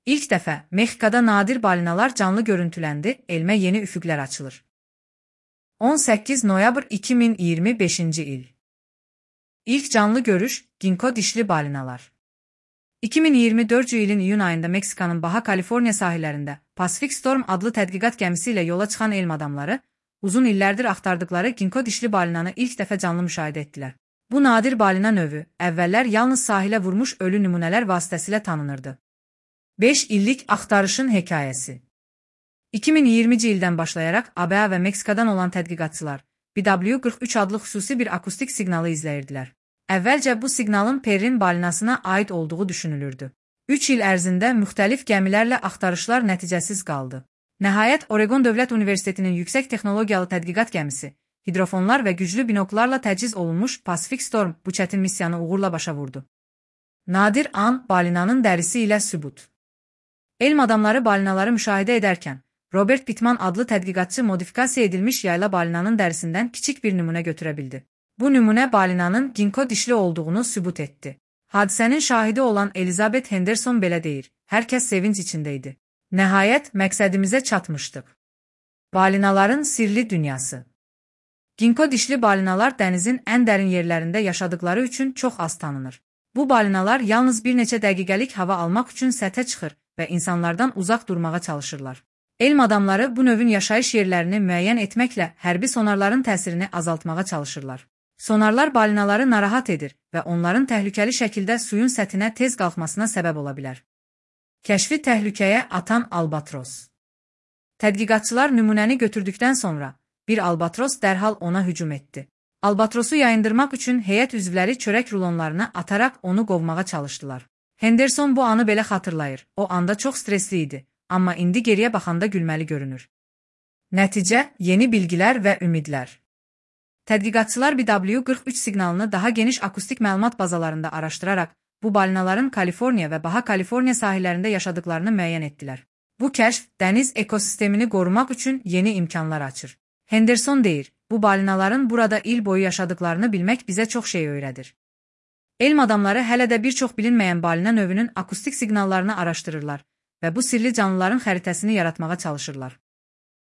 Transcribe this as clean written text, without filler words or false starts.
İlk dəfə Mexikada nadir balinalar canlı görüntüləndi, elmə yeni üfüqlər açılır. 18 noyabr 2025-ci il. İlk canlı görüş, ginko dişli balinalar. 2024 ilin iyun ayında Meksikanın Baja Kaliforniya sahillərində Pacific Storm adlı tədqiqat gəmisi ilə yola çıxan elm adamları, uzun illərdir axtardıkları ginko dişli balinanı ilk dəfə canlı müşahidə etdilər. Bu nadir balina növü, əvvəllər yalnız sahilə vurmuş ölü nümunələr vasitəsilə tanınırdı. 5 illik axtarışın hekayəsi. 2020-ci ildən başlayaraq ABA və Meksikadan olan tədqiqatçılar BW43 adlı xüsusi bir akustik siqnalı izləyirdilər. Əvvəlcə bu siqnalın Perrin balinasına aid olduğu düşünülürdü. 3 il ərzində müxtəlif gəmilərlə axtarışlar nəticəsiz qaldı. Nəhayət, Oregon Dövlət Universitetinin yüksək texnologiyalı tədqiqat gəmisi, hidrofonlar və güclü binoklarla təchiz olunmuş Pacific Storm bu çətin missiyanı uğurla başa vurdu. Nadir an, balinanın dərisi ilə sübut. Elm adamları balinaları müşahidə edərkən, Robert Pittman adlı tədqiqatçı modifikasiya edilmiş yayla balinanın dərisindən kiçik bir nümunə götürə bildi. Bu nümunə balinanın ginko dişli olduğunu sübut etdi. Hadisənin şahidi olan Elizabeth Henderson belə deyir, hər kəs sevinç içində idi. Nəhayət, məqsədimizə çatmışdıq. Balinaların sirli dünyası. Ginko dişli balinalar dənizin ən dərin yerlərində yaşadıkları üçün çox az tanınır. Bu balinalar yalnız bir neçə dəqiqəlik hava almaq üçün səthə çıxır və insanlardan uzaq durmağa çalışırlar. Elm adamları bu növün yaşayış yerlərini müəyyən etməklə hərbi sonarların təsirini azaltmağa çalışırlar. Sonarlar balinaları narahat edir və onların təhlükəli şəkildə suyun səthinə tez qalxmasına səbəb ola bilər. Kəşfi təhlükəyə atan albatros. Tədqiqatçılar nümunəni götürdükdən sonra bir albatros dərhal ona hücum etdi. Albatrosu yayındırmaq üçün heyət üzvləri çörək rulonlarına ataraq onu qovmağa çalışdılar. Henderson bu anı belə xatırlayır. O anda çox stresli idi, amma indi geriyə baxanda gülməli görünür. Nəticə, yeni bilgilər və ümidlər. Tədqiqatçılar BW43 siqnalını daha geniş akustik məlumat bazalarında araşdıraraq, bu balinaların Kaliforniya və Baja Kaliforniya sahillərində yaşadıklarını müəyyən etdilər. Bu kəşf, dəniz ekosistemini qorumaq üçün yeni imkanlar açır. Henderson deyir, bu balinaların burada il boyu yaşadıklarını bilmək bizə çox şey öyrədir. Elm adamları hələ də bir çox bilinməyən balina növünün akustik siqnallarını araşdırırlar və bu sirli canlıların xəritəsini yaratmağa çalışırlar.